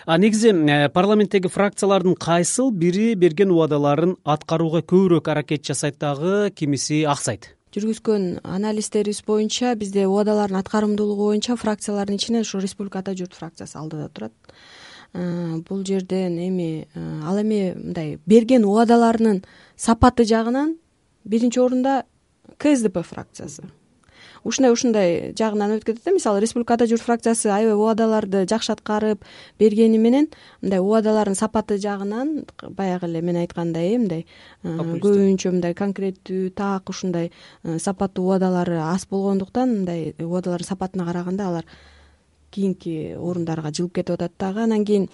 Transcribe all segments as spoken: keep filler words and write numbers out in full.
А негизи парламенттеги фракциялардын кайсыл бири берген убадаларын аткарууга көбүрөөк аракет жасайт дагы, кимиси аксайт? Жүргүзгөн анализдерибиз боюнча бизде убадалардын аткарымдуулугу боюнча фракциялардын ичинен ушу Республика Ата журт фракциясы алдыда турат. Бул жерден эми ал эми мындай берген убадаларынын сапаты жагынан биринчи орунда Ка Эс Де Пе фракциясы. Ушундай ушундай жагынан өтүп кетет да. Мисалы Республика Ата журт фракциясы аябай убадаларды жакшы аткарып бергени менен мындай убадалардын сапаты жагынан баягы эле мен айткандай мындай көбүнчө мындай конкреттүү так ушундай сапаттуу убадалары аз болгондуктан мындай убадалардын сапатына караганда алар кийинки орундарга жылып кетип атат дагы. Анан кийин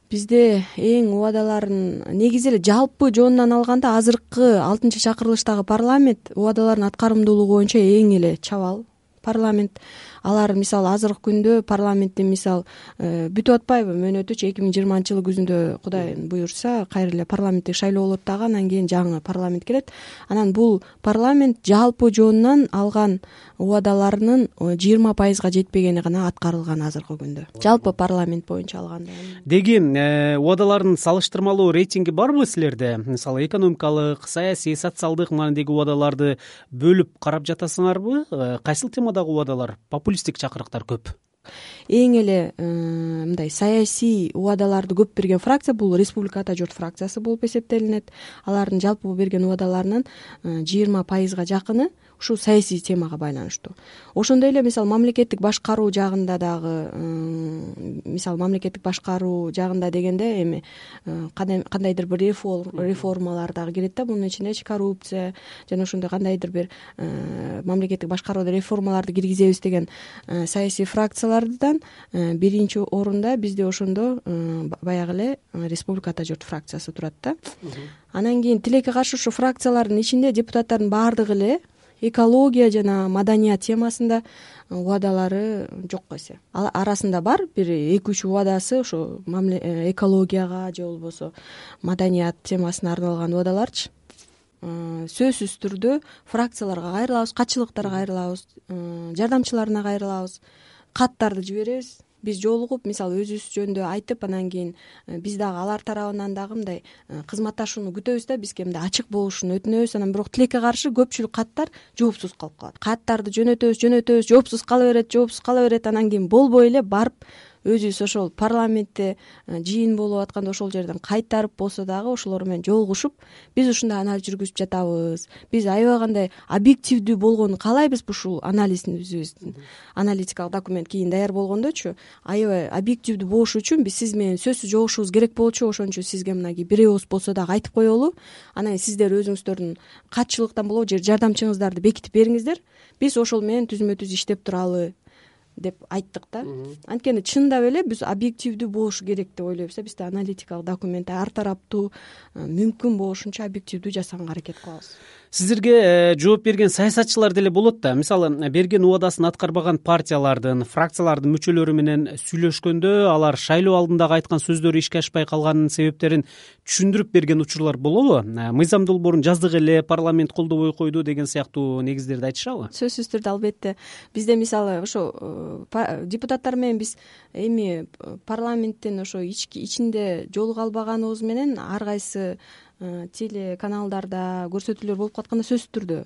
бизде эң убадаларын негизи эле жалпы жонунан алганда азыркы алтынчы чакырылыштагы парламент убадалардын аткарымдуулугу боюнча эң эле чабал парламент. Алар мисалы азыркы күндө парламенттин мисалы бүтүп атпайбы мөөнөтүчү эки миң жыйырманчы жылы күзүндө Кудай буюрса кайра эле парламенттик шайлоо болот дагы, анан кийин жаңы парламент келет. Анан бул парламент жалпы жонунан алган убадаларынын жыйырма пайызга жетпегени гана аткарылган азыркы күндө. Жалпы парламент боюнча алганда. Деги убадалардын салыштырмалуу рейтинги барбы силерде? Мисалы экономикалык, саясий, социалдык маанидеги убадаларды бөлүп карап жатасыңарбы? Кайсыл темадагы убадалар популисттик чакырыктар көп? Эң эле мындай саясий убадаларды көп берген фракция бул Республика Ата журт фракциясы болуп эсептелинет. Алардын жалпы берген убадаларынын жыйырма пайызга жакыны ушул саясий темага байланыштуу. Ошондой эле мисалы мамлекеттик башкаруу жагында дагы мисалы мамлекеттик башкаруу жагында дегенде эми кандайдыр бир реформалар дагы кирет да. Мунун ичинде коррупция жана ошондой кандайдыр бир мамлекеттик башкарууда реформаларды киргизебиз деген саясий фракциялардан биринчи орунда бизде ошондо баягы эле Республика Ата журт фракциясы турат да. Анан кийин тилекке каршы ушу фракциялардын ичинде депутаттардын баардыгы эле экология жана маданият темасында убадалары жок эсе. Ал арасында бар бир эки үч убадасы ошо экологияга же болбосо маданият темасына арналган убадаларчы. Сөзсүз түрдө фракцияларга кайрылабыз, катчылыктарга кайрылабыз, жардамчыларына кайрылабыз, каттарды жиберебиз. Биз жолугуп мисалы өзүбүз жөнүндө айтып, анан кийин биз дагы алар тарабынан дагы мындай кызматташууну күтөбүз да, бизге мындай ачык болушун өтүнөбүз. Анан бирок тилекке каршы көпчүлүк каттар жоопсуз калып калат. Каттарды жөнөтөбүз, жөнөтөбүз, жоопсуз кала берет, жоопсуз кала берет. Анан кийин болбой эле барып өзүбүз ошол парламентте жыйын болуп атканда ошол жерден кайтарып болсо дагы ошолор менен жолугушуп биз ушундай анализ жүргүзүп жатабыз. Биз аябай кандай объективдүү болгонун каалайбыз ушул анализибиздин. Аналитикалык документ кийин даяр болгондочу аябай объективдүү болуш үчүн биз сиз менен сөзсүз жолугушубуз керек болчу. Ошон үчүн сизге мынагей бир ооз болсо дагы айтып коелу. Анан сиздер өзүңүздөрдүн катчылыктан болобу же жардамчыңыздарды бекитип бериңиздер. Биз ошол менен түзмө түз иштеп туралы деп айттык да. Анткени чындап эле биз объективдүү болушу керек деп ойлойбуз да. Бизде аналитикалык документ ар тараптуу мүмкүн болушунча объективдүү жасаганга аракет кылабыз. Сиздерге жооп берген саясатчылар деле болот да. Мисалы берген убадасын аткарбаган партиялардын, фракциялардын мүчөлөрү менен сүйлөшкөндө алар шайлоо алдындагы айткан сөздөрү ишке ашпай калганынын себептерин түшүндүрүп берген учурлар болобу? Мыйзам долбоорун жаздык эле парламент колдобой койду деген сыяктуу негиздерди айтышабы? Сөзсүз түрдө албетте. Бизде мисалы ошо депутаттар менен биз эми парламенттин ошо ичинде жолуга албаганыбыз менен ар кайсы телеканалдарда көрсөтүүлөр болуп катканда сөзсүз түрдө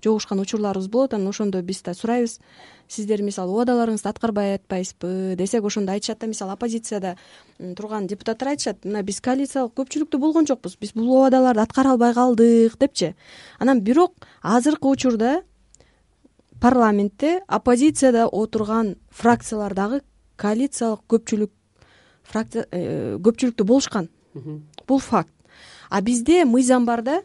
жолугушкан учурларыбыз болот. Анан ошондо биз да сурайбыз, сиздер мисалы убадаларыңызды аткарбай атпайсызбы десек, ошондо айтышат да, мисалы оппозицияда турган депутаттар айтышат, мына биз коалициялык көпчүлүктө болгон жокпуз, биз бул убадаларды аткара албай калдык депчи. Анан бирок азыркы учурда парламентте оппозицияда отурган фракциялар дагы коалициялык көпчүлүк фракция көпчүлүктө болушкан. Бул факт. А бизде мыйзам бар да.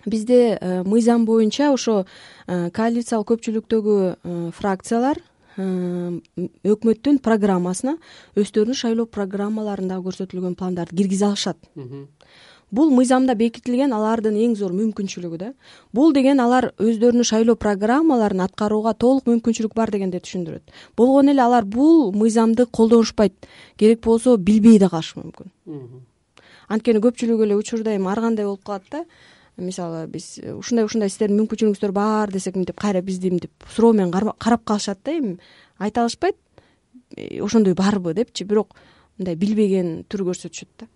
Бизде мыйзам боюнча ошо коалициялык көпчүлүктөгү фракциялар өкмөттүн программасына өздөрүнүн шайлоо программаларында көрсөтүлгөн пландарды киргизе алышат. Бул мыйзамда бекитилген алардын эң зор мүмкүнчүлүгү да. Бул деген алар өздөрүнүн шайлоо программаларын аткарууга толук мүмкүнчүлүк бар дегенди түшүндүрөт. Болгону эле алар бул мыйзамды колдонушпайт. Керек болсо билбей да калышы мүмкүн. Анткени көпчүлүк эле учурда эми ар кандай болуп калат да. Мисалы биз ушундай ушундай сиздердин мүмкүнчүлүгүңүздөр бар десек, мынтип кайра бизди мынтип суроо менен карап калышат да. Эми айта алышпайт ошондой барбы депчи. Бирок мындай билбеген түр көрсөтүшөт да.